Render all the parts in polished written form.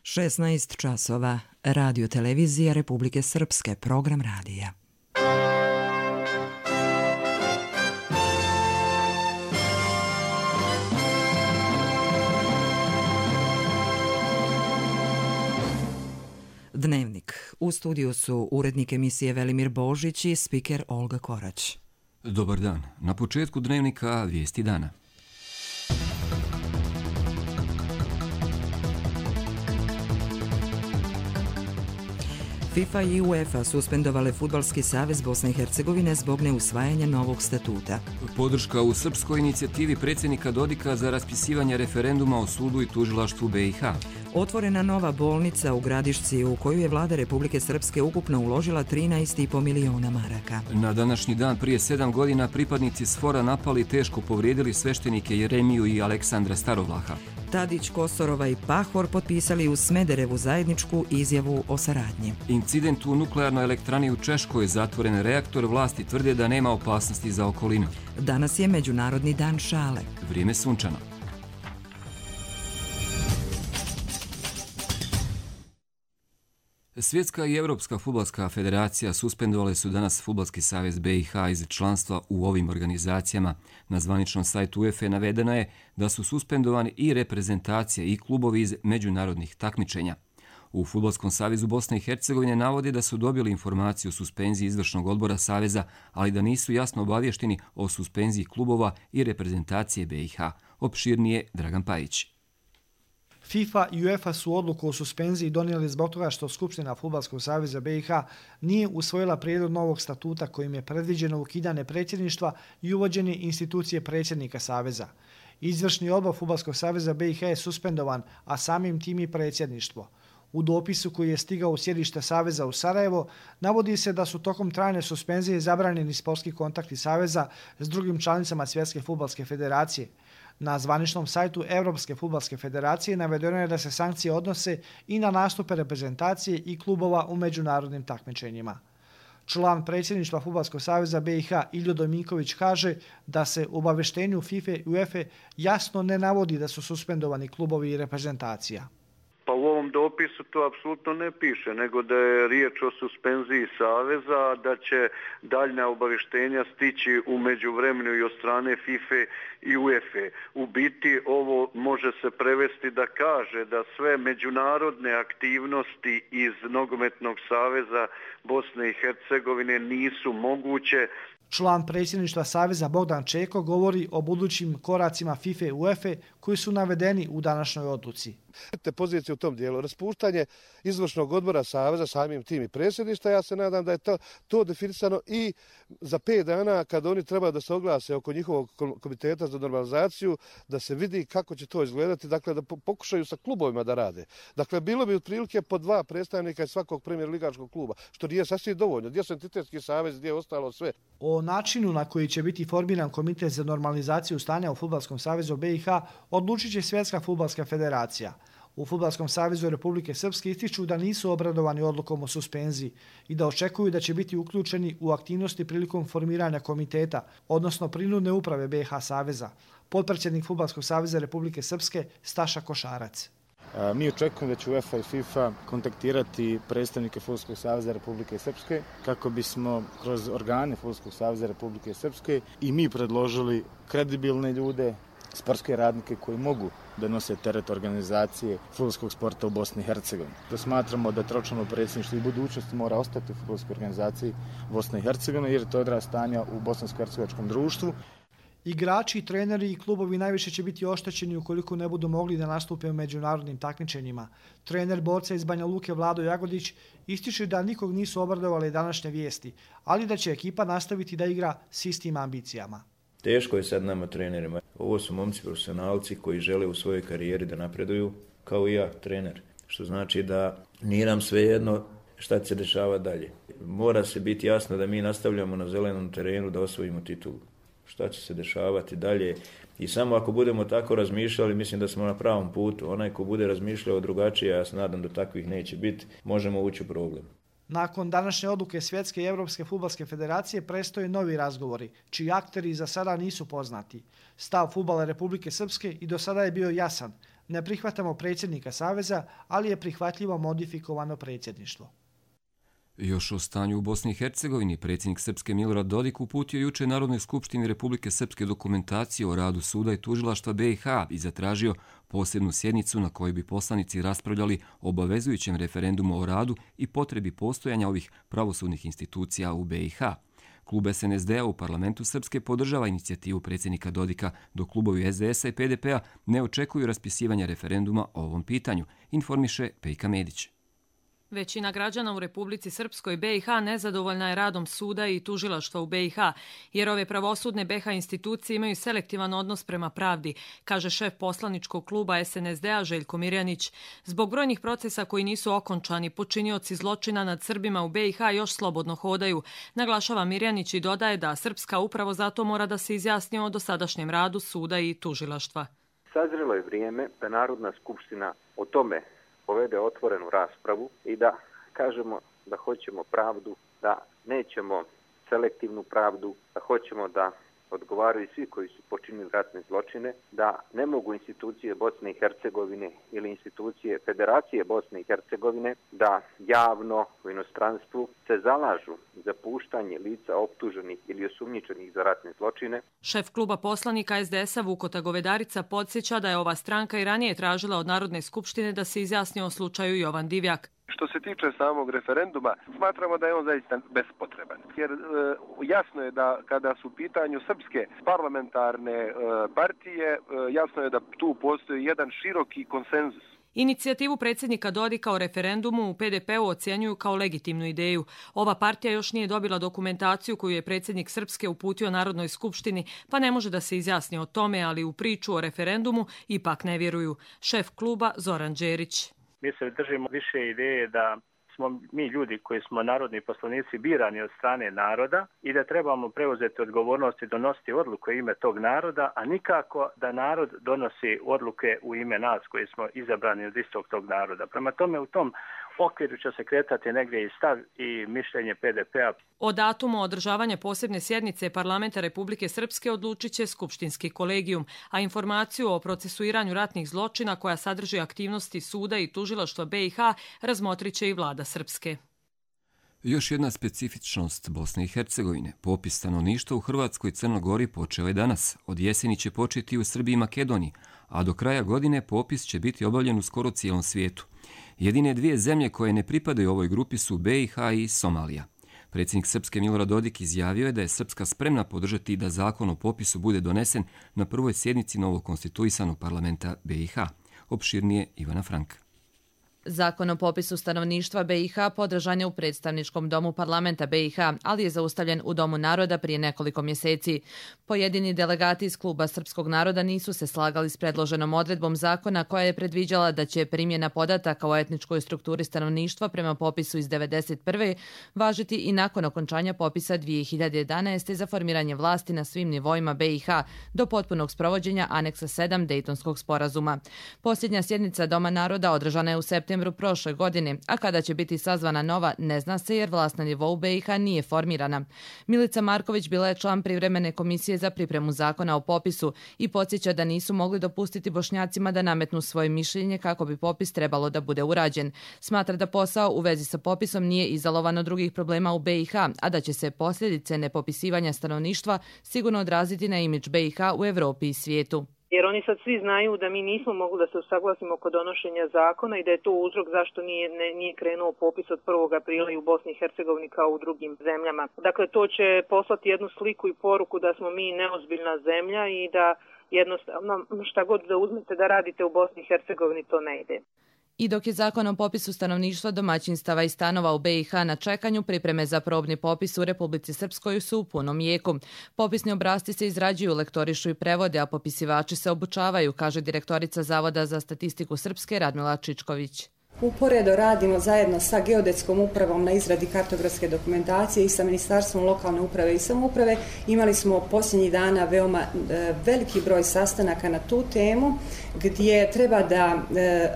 16 časova. Radio televizija Republike Srpske, program radija. Dnevnik. U studiju su urednik emisije Velimir Božić i spiker Olga Korać. Dobar dan. Na početku dnevnika vijesti dana. FIFA i UEFA suspendovale Fudbalski savez Bosne i Hercegovine zbog neusvajanja novog statuta. Podrška u srpskoj inicijativi predsjednika Dodika za raspisivanje referenduma o sudu i tužilaštvu BiH. Otvorena nova bolnica u Gradišci u koju je vlada Republike Srpske ukupno uložila 13,5 miliona maraka. Na današnji dan prije 7 godina pripadnici SFOR-a napali i teško povrijedili sveštenike Jeremiju i Aleksandra Starovlaha. Tadić, Kosorova i Pahor potpisali u Smederevu zajedničku izjavu o saradnji. Incident u nuklearnoj elektrani u Češkoj, zatvoren reaktor, vlasti tvrde da nema opasnosti za okolinu. Danas je Međunarodni dan šale. Vrijeme sunčano. Svjetska i Europska fudbalska federacija suspendovale su danas Fudbalski savez BiH iz članstva u ovim organizacijama. Na zvaničnom sajtu UEFA navedeno je da su suspendovani i reprezentacije i klubovi iz međunarodnih takmičenja. U Fudbalskom savezu Bosne i Hercegovine navode da su dobili informaciju o suspenziji izvršnog odbora saveza, ali da nisu jasno obavješteni o suspenziji klubova i reprezentacije BiH. Opširnije Dragan Pajić. FIFA i UEFA su odluku o suspenziji donijeli zbog toga što Skupština Fudbalskog saveza BiH nije usvojila prijedlog novog statuta kojim je predviđeno ukidanje predsjedništva i uvođenje institucije predsjednika saveza. Izvršni odbor Fudbalskog saveza BiH je suspendovan, a samim tim i predsjedništvo. U dopisu koji je stigao u sjedište saveza u Sarajevo navodi se da su tokom trajne suspenzije zabranjeni sportski kontakti saveza s drugim članicama Svjetske fudbalske federacije. Na zvaničnom sajtu Europske fudbalske federacije navedeno je da se sankcije odnose i na nastupe reprezentacije i klubova u međunarodnim takmičenjima. Član predsjedništva Fudbalskog saveza BiH Iljo Dominković kaže da se u obavještenju FIFA i UEFA jasno ne navodi da su suspendovani klubovi i reprezentacija. Pa u ovom dopisu to apsolutno ne piše, nego da je riječ o suspenziji saveza, da će daljnja obavještenja stići u međuvremenu i od strane FIFA i UEFA. U biti ovo može se prevesti da kaže da sve međunarodne aktivnosti iz Nogometnog saveza Bosne i Hercegovine nisu moguće. Član predsjedništva saveza Bogdan Čeko govori o budućim koracima FIFA i UEFA koji su navedeni u današnjoj odluci. Te pozicije u tom dijelu, raspuštanje izvršnog odbora saveza, samim tim i predsjedništva, ja se nadam da je to definisano i za 5 dana kad oni treba da se oglase oko njihovog komiteta za normalizaciju, da se vidi kako će to izgledati, dakle da pokušaju sa klubovima da rade. Dakle, bilo bi otprilike po 2 predstavnika iz svakog premijer ligaškog kluba, što nije sasvim dovoljno. Gdje su entitetski savez, gdje je ostalo sve. O načinu na koji će biti formiran komitet za normalizaciju stanja u Fudbalskom savezu BiH odlučit će Svjetska fudbalska federacija. U Fudbalskom savezu Republike Srpske ističu da nisu obradovani odlukom o suspenziji i da očekuju da će biti uključeni u aktivnosti prilikom formiranja komiteta, odnosno prinudne uprave BiH saveza. Potpredsjednik Fudbalskog saveza Republike Srpske Staša Košarac. Mi očekujemo da će UEFA i FIFA kontaktirati predstavnike Fudbalskog saveza Republike Srpske kako bismo kroz organe Fudbalskog saveza Republike Srpske i mi predložili kredibilne ljude, sportske radnike koji mogu da nose teret organizacije fudbalskog sporta u Bosni i Hercegovini. To smatramo da tročlano predsjedništvo i budućnosti mora ostati u fudbalskoj organizaciji Bosne i Hercegovine jer je to odraz stanja u bosansko-hercegovačkom društvu. Igrači, treneri i klubovi najviše će biti oštećeni ukoliko ne budu mogli da nastupe u međunarodnim takmičenjima. Trener borca iz Banja Luke Vlado Jagodić ističe da nikog nisu obradovali današnje vijesti, ali da će ekipa nastaviti da igra s istim ambicijama. Teško je sad nama trenerima. Ovo su momci profesionalci koji žele u svojoj karijeri da napreduju, kao i ja, trener. Što znači da nije nam svejedno šta će se dešavati dalje. Mora se biti jasno da mi nastavljamo na zelenom terenu da osvojimo titulu. Šta će se dešavati dalje. I samo ako budemo tako razmišljali, mislim da smo na pravom putu. Onaj ko bude razmišljao drugačije, ja se nadam da takvih neće biti, možemo ući u problem. Nakon današnje odluke Svjetske i Europske fudbalske federacije prestoje novi razgovori, čiji akteri za sada nisu poznati. Stav fudbala Republike Srpske i do sada je bio jasan, Ne prihvatamo predsjednika Saveza, ali je prihvatljivo modifikovano predsjedništvo. Još o stanju u Bosni i Hercegovini, predsjednik Srpske Milorad Dodik uputio juče Narodnoj skupštini Republike Srpske dokumentaciju o radu suda i tužilaštva BiH i zatražio posebnu sjednicu na kojoj bi poslanici raspravljali o obavezujućem referendumu o radu i potrebi postojanja ovih pravosudnih institucija u BiH. Klub SNSD-a u parlamentu Srpske podržava inicijativu predsjednika Dodika, dok klubovi SDS-a i PDP-a ne očekuju raspisivanje referenduma o ovom pitanju, informiše Pejka Medić. Većina građana u Republici Srpskoj BiH nezadovoljna je radom suda i tužilaštva u BiH, jer ove pravosudne BiH institucije imaju selektivan odnos prema pravdi, kaže šef poslaničkog kluba SNSD-a Željko Mirjanić. Zbog brojnih procesa koji nisu okončani, počinioci zločina nad Srbima u BiH još slobodno hodaju, naglašava Mirjanić i dodaje da Srpska upravo zato mora da se izjasni o dosadašnjem radu suda i tužilaštva. Sazrelo je vrijeme da Narodna skupština o tome povede otvorenu raspravu i da kažemo da hoćemo pravdu, da nećemo selektivnu pravdu, da hoćemo da odgovaraju svi koji su počinili ratne zločine, da ne mogu institucije Bosne i Hercegovine ili institucije Federacije Bosne i Hercegovine da javno u inostranstvu se zalažu za puštanje lica optuženih ili osumnjičenih za ratne zločine. Šef kluba poslanika SDS-a Vukota Govedarica podsjeća da je ova stranka i ranije tražila od Narodne skupštine da se izjasni o slučaju Jovan Divjak. Što se tiče samog referenduma, smatramo da je on zaista bespotreban. Jer jasno je da kada su u pitanju srpske parlamentarne partije, jasno je da tu postoji jedan široki konsenzus. Inicijativu predsjednika Dodika o referendumu u PDP-u ocjenjuju kao legitimnu ideju. Ova partija još nije dobila dokumentaciju koju je predsjednik Srpske uputio Narodnoj skupštini, pa ne može da se izjasni o tome, ali u priču o referendumu ipak ne vjeruju. Šef kluba Zoran Đerić. Mi se držimo više ideje da smo mi ljudi koji smo narodni poslanici birani od strane naroda i da trebamo preuzeti odgovornost i donositi odluke u ime tog naroda, a nikako da narod donosi odluke u ime nas koji smo izabrani od istog tog naroda. Prema tome u tom okviru će se kretati negdje i stav i mišljenje PDP-a. O datumu održavanja posebne sjednice Parlamenta Republike Srpske odlučit će Skupštinski kolegijum, a informaciju o procesuiranju ratnih zločina koja sadrži aktivnosti suda i tužilaštva BiH razmotrit će i vlada Srpske. Još jedna specifičnost Bosne i Hercegovine. Popis stanovništva u Hrvatskoj i Crnoj Gori počeo je danas. Od jeseni će početi u Srbiji i Makedoniji, a do kraja godine popis će biti obavljen u skoro cijelom svijetu. Jedine dvije zemlje koje ne pripadaju ovoj grupi su BiH i Somalija. Predsjednik Srpske Milorad Dodik izjavio je da je Srpska spremna podržati da zakon o popisu bude donesen na prvoj sjednici novog konstituisanog parlamenta BiH. Opširnije Ivana Frank. Zakon o popisu stanovništva BiH podržan je u predstavničkom domu parlamenta BiH, ali je zaustavljen u Domu naroda prije nekoliko mjeseci. Pojedini delegati iz kluba srpskog naroda nisu se slagali s predloženom odredbom zakona koja je predviđala da će primjena podataka o etničkoj strukturi stanovništva prema popisu iz 1991. važiti i nakon okončanja popisa 2011. za formiranje vlasti na svim nivoima BiH do potpunog sprovođenja aneksa 7 Dejtonskog sporazuma. Posljednja sjednica Doma naroda održana je u septembru prošle godine, a kada će biti sazvana nova ne zna se jer vlast na nivou BiH nije formirana. Milica Marković bila je član privremene komisije za pripremu zakona o popisu i podsjeća da nisu mogli dopustiti Bošnjacima da nametnu svoje mišljenje kako bi popis trebalo da bude urađen. Smatra da posao u vezi sa popisom nije izolovan od drugih problema u BiH, a da će se posljedice nepopisivanja stanovništva sigurno odraziti na imidž BiH u Evropi i svijetu. Jer oni sad svi znaju da mi nismo mogli da se usaglasimo oko donošenja zakona i da je to uzrok zašto nije krenuo popis od 1. aprila i u Bosni i Hercegovini kao u drugim zemljama. Dakle, to će poslati jednu sliku i poruku da smo mi neozbiljna zemlja i da jednostavno šta god da uzmete da radite u Bosni i Hercegovini to ne ide. I dok je zakon o popisu stanovništva, domaćinstava i stanova u BiH na čekanju, pripreme za probni popis u Republici Srpskoj su u punom jeku. Popisni obrasci se izrađuju, lektorišu i prevode, a popisivači se obučavaju, kaže direktorica Zavoda za statistiku Srpske Radmila Čičković. Uporedo radimo zajedno sa Geodetskom upravom na izradi kartografske dokumentacije i sa Ministarstvom lokalne uprave i samouprave. Imali smo posljednjih dana veoma veliki broj sastanaka na tu temu gdje treba da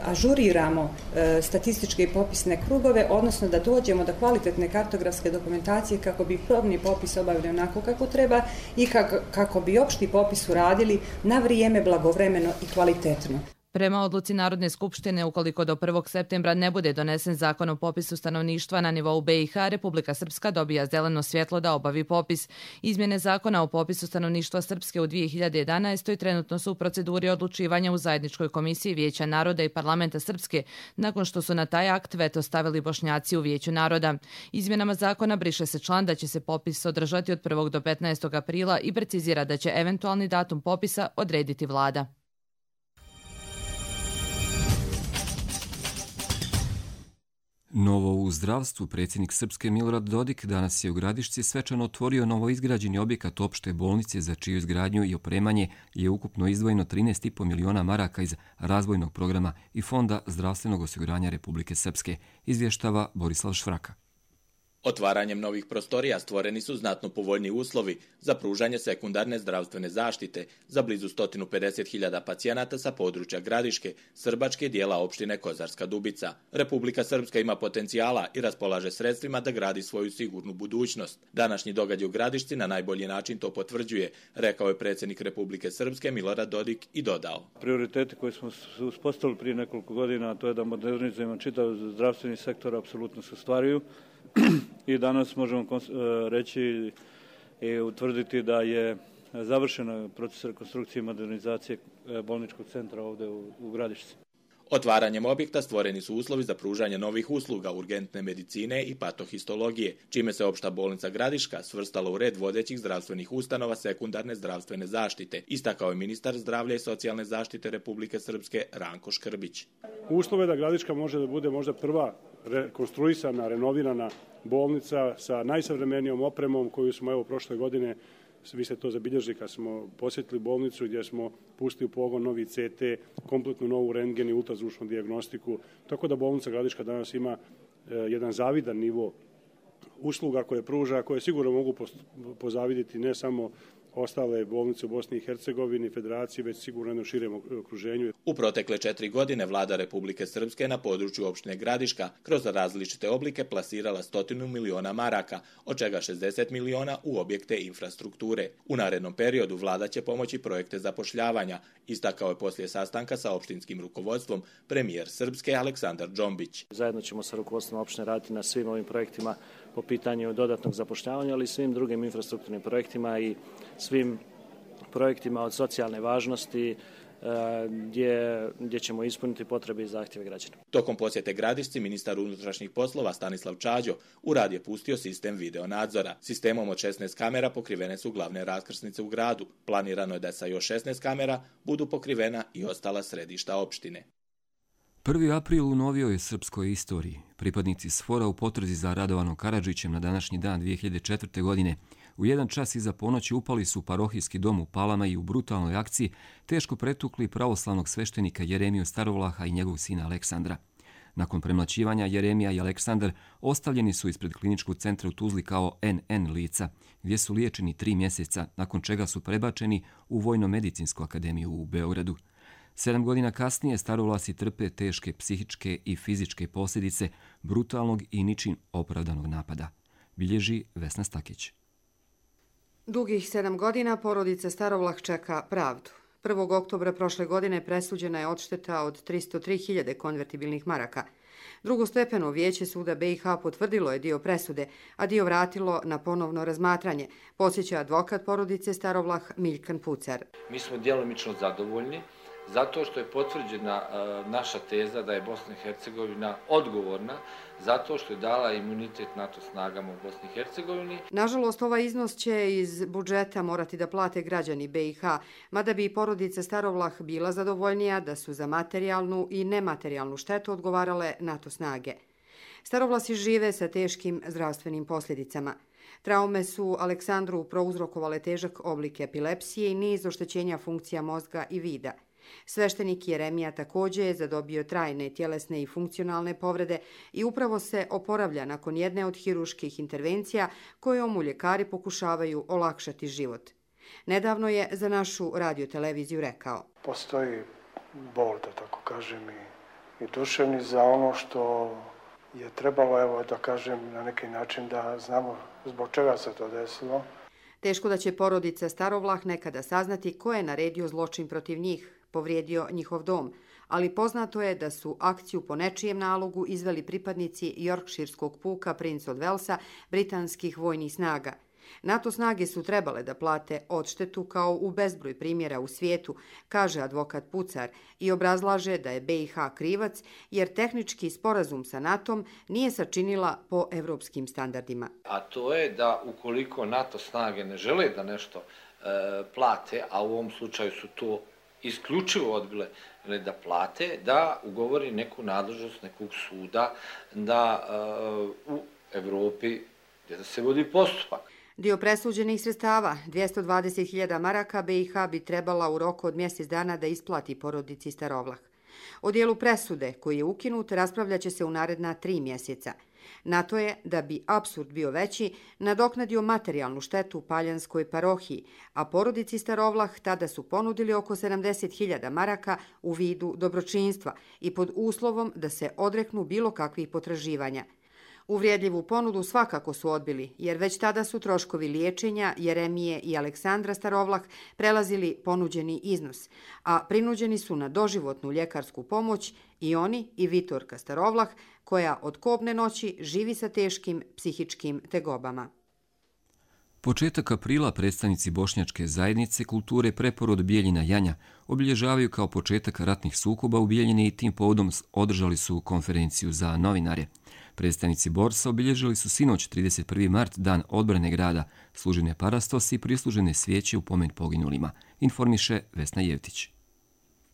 ažuriramo statističke i popisne krugove, odnosno da dođemo do kvalitetne kartografske dokumentacije kako bi probni popis obavili onako kako treba i kako bi opšti popis uradili na vrijeme, blagovremeno i kvalitetno. Prema odluci Narodne skupštine, ukoliko do 1. septembra ne bude donesen zakon o popisu stanovništva na nivou BiH, Republika Srpska dobija zeleno svjetlo da obavi popis. Izmjene zakona o popisu stanovništva Srpske u 2011. trenutno su u proceduri odlučivanja u zajedničkoj komisiji Vijeća naroda i Parlamenta Srpske, nakon što su na taj akt veto stavili Bošnjaci u Vijeću naroda. Izmjenama zakona briše se član da će se popis održati od 1. do 15. aprila i precizira da će eventualni datum popisa odrediti vlada. Novo u zdravstvu predsjednik Srpske Milorad Dodik danas je u Gradišci svečano otvorio novoizgrađeni objekat opšte bolnice za čiju izgradnju i opremanje je ukupno izdvojeno 13,5 miliona maraka iz razvojnog programa i Fonda zdravstvenog osiguranja Republike Srpske, izvještava Borislav Švraka. Otvaranjem novih prostorija stvoreni su znatno povoljni uslovi za pružanje sekundarne zdravstvene zaštite za blizu 150.000 pacijenata sa područja Gradiške, Srbačke dijela opštine Kozarska Dubica. Republika Srpska ima potencijala i raspolaže sredstvima da gradi svoju sigurnu budućnost. Današnji događaj u Gradišci na najbolji način to potvrđuje, rekao je predsjednik Republike Srpske Milorad Dodik i dodao. Prioriteti koje smo uspostavili prije nekoliko godina, to je da modernizujemo čitav zdravstveni sektor, apsolutno se ostvaruju. I danas možemo reći i utvrditi da je završen proces rekonstrukcije i modernizacije bolničkog centra ovdje u Gradišci. Otvaranjem objekta stvoreni su uslovi za pružanje novih usluga urgentne medicine i patohistologije, čime se opšta bolnica Gradiška svrstala u red vodećih zdravstvenih ustanova sekundarne zdravstvene zaštite, istakao je ministar zdravlja i socijalne zaštite Republike Srpske Ranko Škrbić. Uslove da Gradiška može da bude možda prva rekonstruisana, renovirana bolnica sa najsavremenijom opremom koju smo prošle godine, vi ste to zabilježili kad smo posjetili bolnicu gdje smo pustili u pogon novi CT, kompletnu novu rentgen i ultrazvučnu dijagnostiku, tako da bolnica Gradiška danas ima jedan zavidan nivo usluga koje pruža, koje sigurno mogu pozaviditi ne samo ostale bolnice u Bosni i Hercegovini, Federaciji, već sigurno jednom širem okruženju. U protekle 4 godine vlada Republike Srpske na području opštine Gradiška kroz različite oblike plasirala 100 miliona maraka, od čega 60 miliona u objekte infrastrukture. U narednom periodu vlada će pomoći projekte zapošljavanja, istakao je poslije sastanka sa opštinskim rukovodstvom premijer Srpske Aleksandar Džombić. Zajedno ćemo sa rukovodstvom opštine raditi na svim ovim projektima po pitanju dodatnog zapošljavanja, ali i svim drugim infrastrukturnim projektima i svim projektima od socijalne važnosti gdje ćemo ispuniti potrebe i zahtjeve građana. Tokom posjete Gradišci, ministar unutrašnjih poslova Stanislav Čađo u rad je pustio sistem videonadzora. Sistemom od 16 kamera pokrivene su glavne raskrsnice u gradu. Planirano je da sa još 16 kamera budu pokrivena i ostala središta opštine. 1. april u novijoj srpskoj istoriji. Pripadnici SFOR-a u potrazi za Radovanom Karadžićem na današnji dan 2004. godine u 1 čas iza ponoći upali su u parohijski dom u Palama i u brutalnoj akciji teško pretukli pravoslavnog sveštenika Jeremiju Starovlaha i njegov sina Aleksandra. Nakon premlaćivanja Jeremija i Aleksandar ostavljeni su ispred kliničkog centra u Tuzli kao NN lica, gdje su liječeni 3 mjeseca, nakon čega su prebačeni u Vojno-medicinsku akademiju u Beogradu. 7 godina kasnije Starovlasi trpe teške psihičke i fizičke posljedice brutalnog i ničim opravdanog napada, bilježi Vesna Stakić. Dugih 7 godina porodica Starovlah čeka pravdu. 1. oktobra prošle godine presuđena je odšteta od 303.000 konvertibilnih maraka. Drugostepeno vijeće suda BiH potvrdilo je dio presude, a dio vratilo na ponovno razmatranje, podsjeća advokat porodice Starovlah Miljkan Pucar. Mi smo djelomično zadovoljni zato što je potvrđena naša teza da je Bosna i Hercegovina odgovorna zato što je dala imunitet NATO snagama u Bosni i Hercegovini. Nažalost, ovaj iznos će iz budžeta morati da plate građani BiH, mada bi i porodica Starovlah bila zadovoljnija da su za materijalnu i nematerijalnu štetu odgovarale NATO snage. Starovlasi žive sa teškim zdravstvenim posljedicama. Traume su Aleksandru prouzrokovale težak oblik epilepsije i niz oštećenja funkcija mozga i vida. Sveštenik Jeremija također je zadobio trajne tjelesne i funkcionalne povrede i upravo se oporavlja nakon jedne od hiruških intervencija kojom mu ljekari pokušavaju olakšati život. Nedavno je za našu radioteleviziju rekao: Postoji bol, da tako kažem, i duševni za ono što je trebalo, evo da kažem, na neki način da znamo zbog čega se to desilo. Teško da će porodica Starovlah nekada saznati ko je naredio zločin protiv njih, povrijedio njihov dom, ali poznato je da su akciju po nečijem nalogu izveli pripadnici Yorkshireskog puka Prince od Walesa britanskih vojnih snaga. NATO snage su trebale da plate odštetu kao u bezbroj primjera u svijetu, kaže advokat Pucar i obrazlaže da je BiH krivac jer tehnički sporazum sa NATO-om nije sačinila po evropskim standardima. A to je da ukoliko NATO snage ne žele da nešto plate, a u ovom slučaju su to isključivo odbile da plate, da ugovori neku nadležnost nekog suda da u Evropi gdje se vodi postupak. Dio presuđenih sredstava, 220.000 maraka, BiH bi trebala u roku od mjesec dana da isplati porodici Starovlah. O dijelu presude, koji je ukinut, raspravljaće se u naredna 3 mjeseca. NATO je, da bi apsurd bio veći, nadoknadio materijalnu štetu Paljanskoj parohiji, a porodici Starovlah tada su ponudili oko 70.000 maraka u vidu dobročinstva i pod uslovom da se odreknu bilo kakvih potraživanja. Uvrijedljivu ponudu svakako su odbili, jer već tada su troškovi liječenja Jeremije i Aleksandra Starovlah prelazili ponuđeni iznos, a prinuđeni su na doživotnu ljekarsku pomoć i oni i Vitorka Starovlah, koja od kobne noći živi sa teškim psihičkim tegobama. Početak aprila predstavnici Bošnjačke zajednice kulture Preporod Bijeljina Janja obilježavaju kao početak ratnih sukoba u Bijeljini i tim povodom održali su konferenciju za novinare. Predstavnici borsa obilježili su sinoć 31. mart, dan odbrane grada, služene parastosi i prislužene svijeće u pomen poginulima, informiše Vesna Jevtić.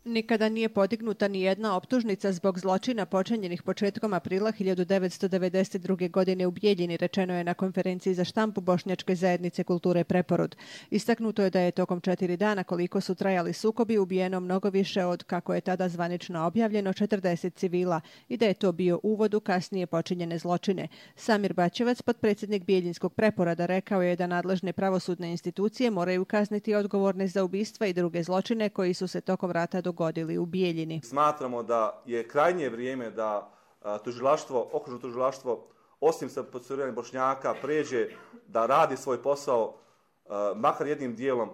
Nikada nije podignuta ni jedna optužnica zbog zločina počinjenih početkom aprila 1992. godine u Bijeljini, rečeno je na konferenciji za štampu Bošnjačke zajednice kulture Preporod. Istaknuto je da je tokom 4 dana koliko su trajali sukobi ubijeno mnogo više od, kako je tada zvanično objavljeno, 40 civila i da je to bio uvod u kasnije počinjene zločine. Samir Bačevac, potpredsjednik Bijeljinskog Preporoda, rekao je da nadležne pravosudne institucije moraju kazniti odgovorne za ubistva i druge zločine koji su se tokom rata dogodili u Bijeljini. Smatramo da je krajnje vrijeme da okružno tužilaštvo, osim sa procesuiranjem Bošnjaka, pređe da radi svoj posao, makar jednim dijelom,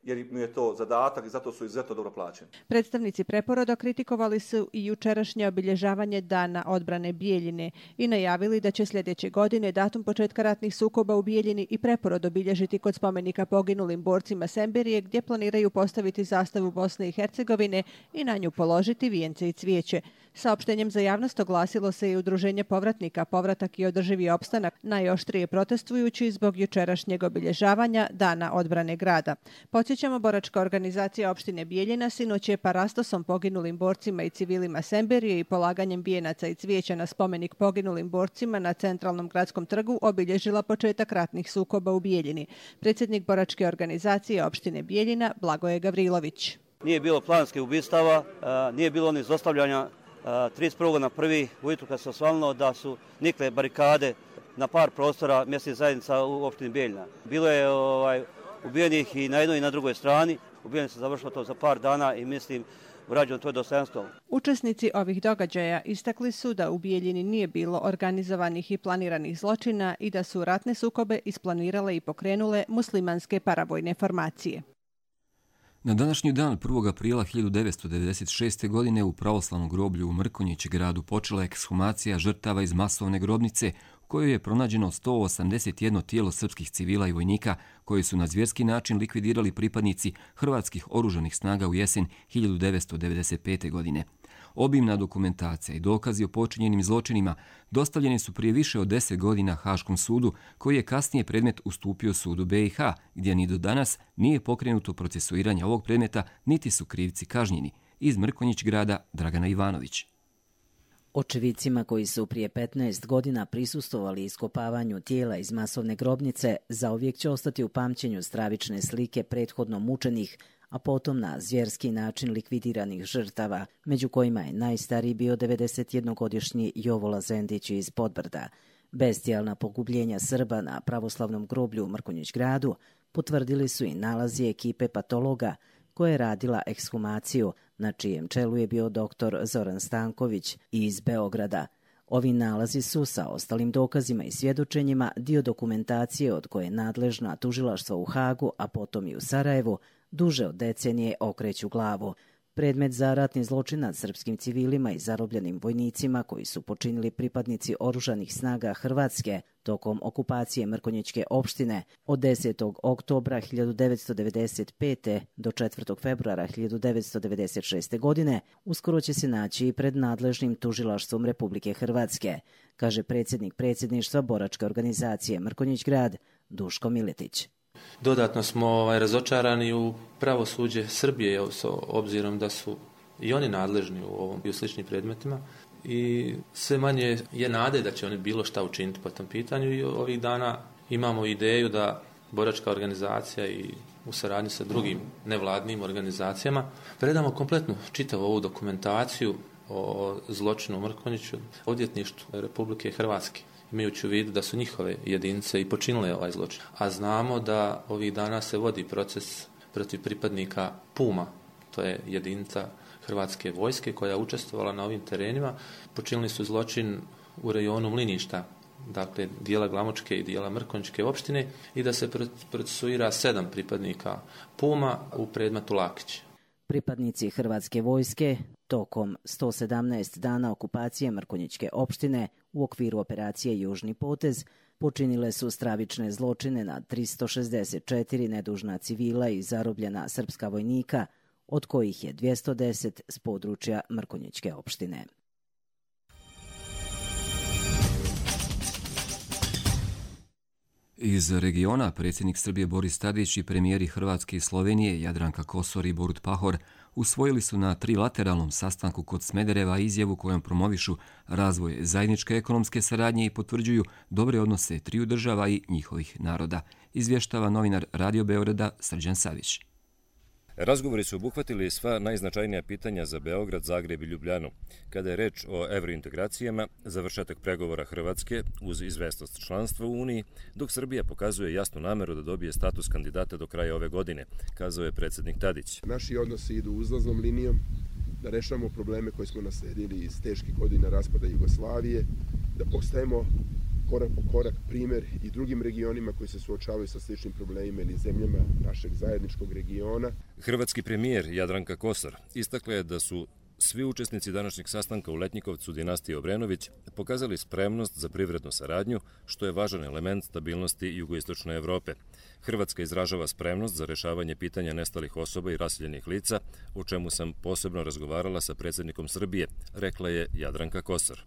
jer mu je to zadatak i zato su izuzetno dobro plaćeni. Predstavnici Preporoda kritikovali su i jučerašnje obilježavanje Dana odbrane Bijeljine i najavili da će sljedeće godine datum početka ratnih sukoba u Bijeljini i Preporod obilježiti kod spomenika poginulim borcima Semberije, gdje planiraju postaviti zastavu Bosne i Hercegovine i na nju položiti vijence i cvijeće. Saopštenjem za javnost oglasilo se i Udruženje povratnika Povratak i održivi opstanak, najoštrije protestujući zbog jučerašnjeg obilježavanja Dana odbrane grada. Podsjećamo, boračka organizacija opštine Bijeljina sinoć je parastosom poginulim borcima i civilima Semberije i polaganjem vijenaca i cvijeća na spomenik poginulim borcima na centralnom gradskom trgu obilježila početak ratnih sukoba u Bijeljini. Predsjednik boračke organizacije opštine Bijeljina Blagoje Gavrilović. Nije bilo planskih ubistava, nije bilo ni zlostavljanja. 31. na 1. ujutru kad se osvalilo da su nikle barikade na par prostora mjesnih zajednica u opštini Bijeljina. Bilo je ubijenih i na jednoj i na drugoj strani. Ubijeni se završilo to za par dana i mislim vrađeno to je dostojanstvo. Učesnici ovih događaja istakli su da u Bijeljini nije bilo organizovanih i planiranih zločina i da su ratne sukobe isplanirale i pokrenule muslimanske paravojne formacije. Na današnji dan 1. aprila 1996. godine u pravoslavnom groblju u Mrkonjić gradu počela je ekshumacija žrtava iz masovne grobnice u kojoj je pronađeno 181 tijelo srpskih civila i vojnika koji su na zvjerski način likvidirali pripadnici hrvatskih oružanih snaga u jesen 1995. godine. Obimna dokumentacija i dokazi o počinjenim zločinima dostavljeni su prije više od 10 godina Haškom sudu, koji je kasnije predmet ustupio sudu BiH, gdje ni do danas nije pokrenuto procesuiranje ovog predmeta, niti su krivci kažnjeni. Iz Mrkonjić grada Dragana Ivanović. Očevicima koji su prije 15 godina prisustvovali iskopavanju tijela iz masovne grobnice zauvijek će ostati u pamćenju stravične slike prethodno mučenih, a potom na zvjerski način likvidiranih žrtava, među kojima je najstariji bio 91-godišnji Jovo Lazendić iz Podbrda. Bestijalna pogubljenja Srba na pravoslavnom groblju u Mrkonjić gradu potvrdili su i nalazi ekipe patologa koja je radila ekshumaciju, na čijem čelu je bio dr. Zoran Stanković iz Beograda. Ovi nalazi su sa ostalim dokazima i svjedočenjima dio dokumentacije od koje nadležna tužilaštva u Hagu, a potom i u Sarajevu, duže od decenije okreću glavu. Predmet za ratni zločin nad srpskim civilima i zarobljenim vojnicima koji su počinili pripadnici oružanih snaga Hrvatske tokom okupacije Mrkonjićke opštine od 10. oktobra 1995. do 4. februara 1996. godine uskoro će se naći i pred nadležnim tužilaštvom Republike Hrvatske, kaže predsjednik predsjedništva boračke organizacije Mrkonjić grad Duško Miletić. Dodatno smo razočarani u pravosuđe Srbije, obzirom da su i oni nadležni u ovom i u sličnim predmetima i sve manje je nade da će oni bilo šta učiniti po tom pitanju i ovih dana imamo ideju da boračka organizacija i u saradnji sa drugim nevladnim organizacijama predamo kompletnu čitavu ovu dokumentaciju o zločinu u Mrkonjiću odvjetništvu Republike Hrvatske, imajući u vidu da su njihove jedinice i počinile ovaj zločin. A znamo da ovih dana se vodi proces protiv pripadnika Puma, to je jedinica Hrvatske vojske koja je učestvovala na ovim terenima. Počinili su zločin u rejonu Mliništa, dakle dijela Glamočke i dijela Mrkonjićke opštine i da se procesuira 7 pripadnika Puma u predmetu Lakić. Pripadnici Hrvatske vojske tokom 117 dana okupacije Mrkonjićke opštine u okviru operacije Južni potez počinile su stravične zločine na 364 nedužna civila i zarobljena srpska vojnika, od kojih je 210 s područja Mrkonjićke opštine. Iz regiona predsjednik Srbije Boris Tadić i premijeri Hrvatske i Slovenije Jadranka Kosor i Borut Pahor usvojili su na trilateralnom sastanku kod Smedereva izjavu kojom promovišu razvoj zajedničke ekonomske saradnje i potvrđuju dobre odnose triju država i njihovih naroda, izvještava novinar Radio Beograda Srđan Savić. Razgovori su obuhvatili sva najznačajnija pitanja za Beograd, Zagreb i Ljubljanu. Kada je reč o evrointegracijama, završetak pregovora Hrvatske uz izvesnost članstva u Uniji, dok Srbija pokazuje jasnu nameru da dobije status kandidata do kraja ove godine, kazao je predsjednik Tadić. Naši odnosi idu uzlaznom linijom, da rešamo probleme koje smo nasledili iz teških godina raspada Jugoslavije, da postajemo korak po korak primjer i drugim regionima koji se suočavaju sa sličnim problemima ili zemljama našeg zajedničkog regiona. Hrvatski premijer Jadranka Kosor istakla je da su svi učesnici današnjeg sastanka u Letnjikovcu dinastije Obrenović pokazali spremnost za privrednu saradnju, što je važan element stabilnosti jugoistočne Evrope. Hrvatska izražava spremnost za rešavanje pitanja nestalih osoba i raseljenih lica, o čemu sam posebno razgovarala sa predsjednikom Srbije, rekla je Jadranka Kosor.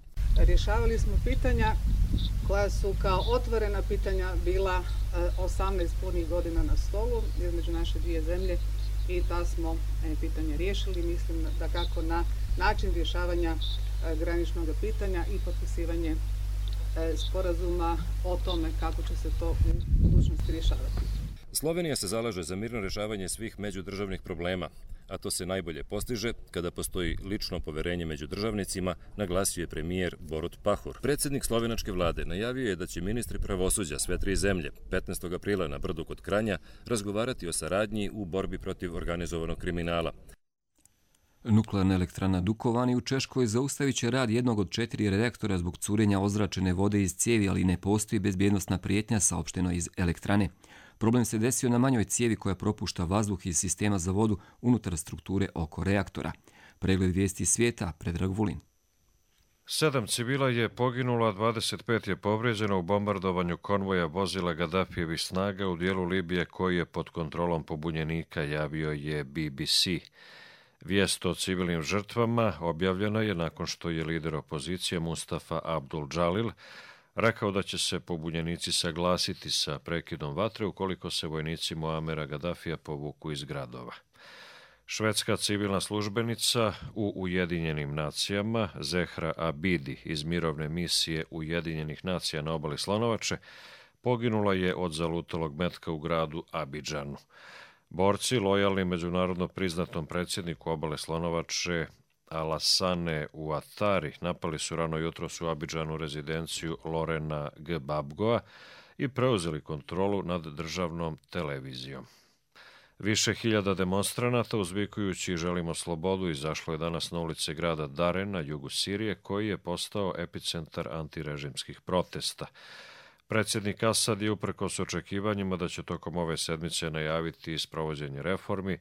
Rješavali smo pitanja koja su kao otvorena pitanja bila 18 punih godina na stolu između naše dvije zemlje i ta smo pitanje riješili. Mislim da kako na način rješavanja graničnog pitanja i potpisivanje sporazuma o tome kako će se to u budućnosti rješavati. Slovenija se zalaže za mirno rješavanje svih međudržavnih problema, a to se najbolje postiže kada postoji lično poverenje među državnicima, naglasio je premijer Borut Pahor. Predsjednik slovenačke vlade najavio je da će ministri pravosuđa sve tri zemlje 15. aprila na Brdu kod Kranja razgovarati o saradnji u borbi protiv organizovanog kriminala. Nuklearna elektrana Dukovani u Češkoj zaustavit će rad jednog od 4 reaktora zbog curenja ozračene vode iz cijevi, ali ne postoji bezbjednosna prijetnja, saopšteno iz elektrane. Problem se desio na manjoj cijevi koja propušta vazduh iz sistema za vodu unutar strukture oko reaktora. Pregled vijesti svijeta, Predrag Vulin. 7 civila je poginulo, a 25 je povrijeđeno u bombardovanju konvoja vozila Gaddafijevih snaga u dijelu Libije koji je pod kontrolom pobunjenika, javio je BBC. Vijest o civilnim žrtvama objavljena je nakon što je lider opozicije Mustafa Abdul Džalil rekao da će se pobunjenici saglasiti sa prekidom vatre ukoliko se vojnici Muamera Gaddafija povuku iz gradova. Švedska civilna službenica u Ujedinjenim nacijama Zehra Abidi iz mirovne misije Ujedinjenih nacija na obali Slonovače poginula je od zalutalog metka u gradu Abidžanu. Borci, lojalni međunarodno priznatom predsjedniku obale Slonovače Alassane Ouattari, napali su rano jutros u Abidžanu rezidenciju Lorena Gbagboa i preuzeli kontrolu nad državnom televizijom. Više hiljada demonstranata uzvikujući želimo slobodu izašlo je danas na ulice grada Daren na jugu Sirije, koji je postao epicentar antirežimskih protesta. Predsjednik Asad je uprkos očekivanjima da će tokom ove sedmice najaviti sprovođenje reformi,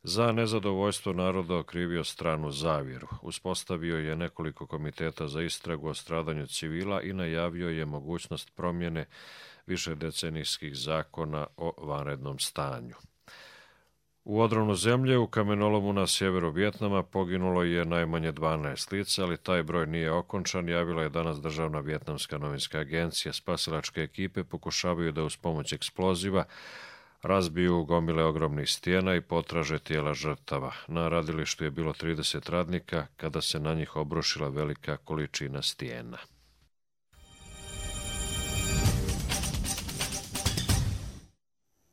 Za nezadovoljstvo naroda okrivio stranu zavjeru. Uspostavio je nekoliko komiteta za istragu o stradanju civila i najavio je mogućnost promjene višedecenijskih zakona o vanrednom stanju. U odronu zemlje u kamenolomu na sjeveru Vjetnama poginulo je najmanje 12 lica, ali taj broj nije okončan, javila je danas Državna vjetnamska novinska agencija. Spasilačke ekipe pokušavaju da uz pomoć eksploziva razbiju gomile ogromnih stijena i potraže tijela žrtava. Na radilištu je bilo 30 radnika kada se na njih obrušila velika količina stijena.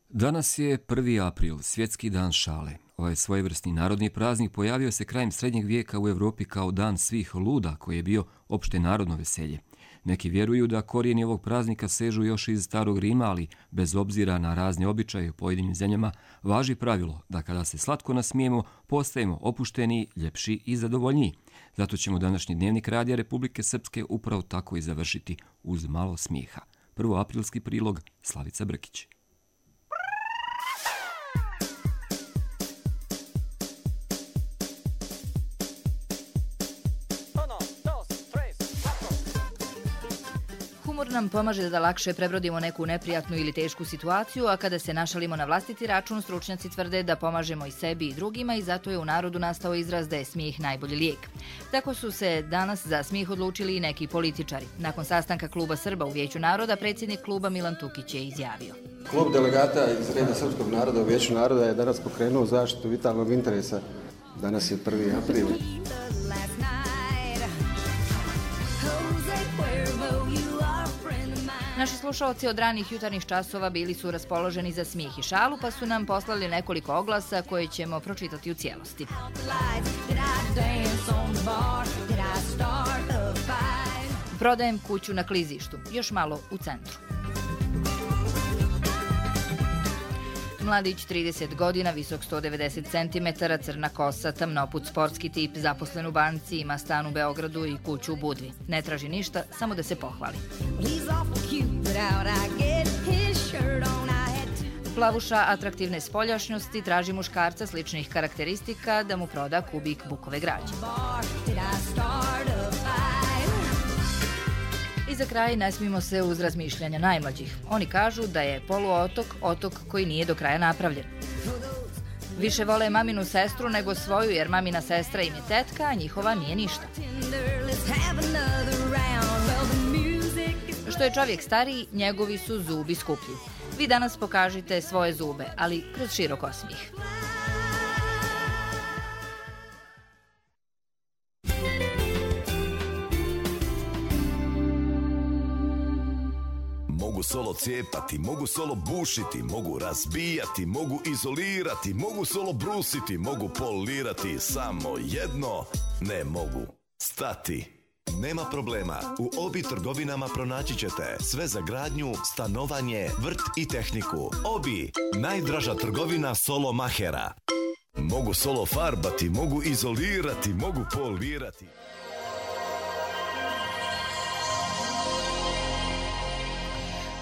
Danas je 1. april, svjetski dan šale. Ovaj svojevrsni narodni praznik pojavio se krajem srednjeg vijeka u Europi kao dan svih luda, koji je bio opšte narodno veselje. Neki vjeruju da korijeni ovog praznika sežu još iz starog Rima, ali bez obzira na razne običaje u pojedinim zemljama, važi pravilo da kada se slatko nasmijemo, postajemo opušteni, ljepši i zadovoljniji. Zato ćemo današnji dnevnik Radija Republike Srpske upravo tako i završiti uz malo smijeha. 1. aprilski prilog, Slavica Brkić. Humor nam pomaže da lakše prebrodimo neku neprijatnu ili tešku situaciju, a kada se našalimo na vlastiti račun, stručnjaci tvrde da pomažemo i sebi i drugima i zato je u narodu nastao izraz da je smijeh najbolji lijek. Tako su se danas za smijeh odlučili i neki političari. Nakon sastanka Kluba Srba u Vijeću naroda, predsjednik kluba Milan Tukić je izjavio. Klub delegata iz reda Srpskog naroda u Vijeću naroda je danas pokrenuo zaštitu vitalnog interesa. Danas je 1. april. Naši slušalci od ranih jutarnjih časova bili su raspoloženi za smijeh i šalu, pa su nam poslali nekoliko oglasa koje ćemo pročitati u cijelosti. Prodajem kuću na klizištu, još malo u centru. Mladić, 30 godina, visok 190 cm, crna kosa, tamnoput, sportski tip, zaposlen u banci, ima stan u Beogradu i kuću u Budvi. Ne traži ništa, samo da se pohvali. Plavuša atraktivne spoljašnjosti traži muškarca sličnih karakteristika da mu proda kubik bukove građe. I za kraj ne smijemo se uz razmišljanja najmlađih. Oni kažu da je poluotok otok koji nije do kraja napravljen. Više vole maminu sestru nego svoju, jer mamina sestra im je tetka, a njihova nije ništa. Što je čovjek stariji, njegovi su zubi skuplji. Vi danas pokažite svoje zube, ali kroz širok osmijeh. Mogu solo cijepati, mogu solo bušiti, mogu razbijati, mogu izolirati, mogu solo brusiti, mogu polirati, samo jedno ne mogu stati. Nema problema, u Obi trgovinama pronaći ćete sve za gradnju, stanovanje, vrt i tehniku. Obi, najdraža trgovina solo mahera. Mogu solo farbati, mogu izolirati, mogu polirati.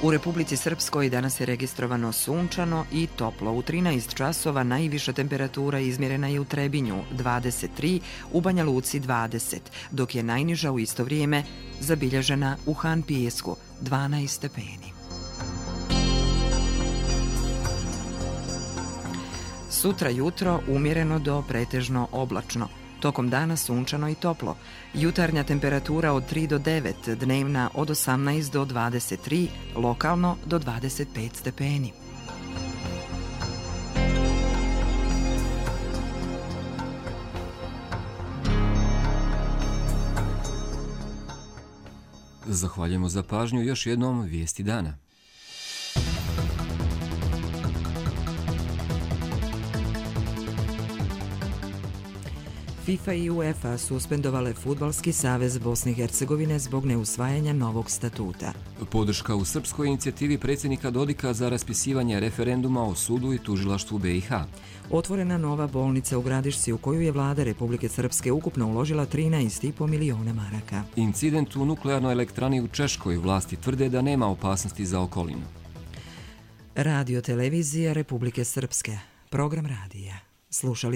U Republici Srpskoj danas je registrovano sunčano i toplo. U 13 časova najviša temperatura izmjerena je u Trebinju 23, u Banja Luci 20, dok je najniža u isto vrijeme zabilježena u Han Pijesku 12 stepeni. Sutra jutro umjereno do pretežno oblačno. Tokom dana sunčano i toplo. Jutarnja temperatura od 3 do 9, dnevna od 18 do 23, lokalno do 25 stepeni. Zahvaljujemo za pažnju, još jednom vijesti dana. FIFA i UEFA suspendovale Fudbalski savez Bosne i Hercegovine zbog neusvajanja novog statuta. Podrška u srpskoj inicijativi predsjednika Dodika za raspisivanje referenduma o sudu i tužilaštvu BiH. Otvorena nova bolnica u Gradišci u koju je vlada Republike Srpske ukupno uložila 13,5 miliona maraka. Incident u nuklearnoj elektrani u Češkoj, vlasti tvrde da nema opasnosti za okolinu. Radio televizija Republike Srpske. Program radija. Slušali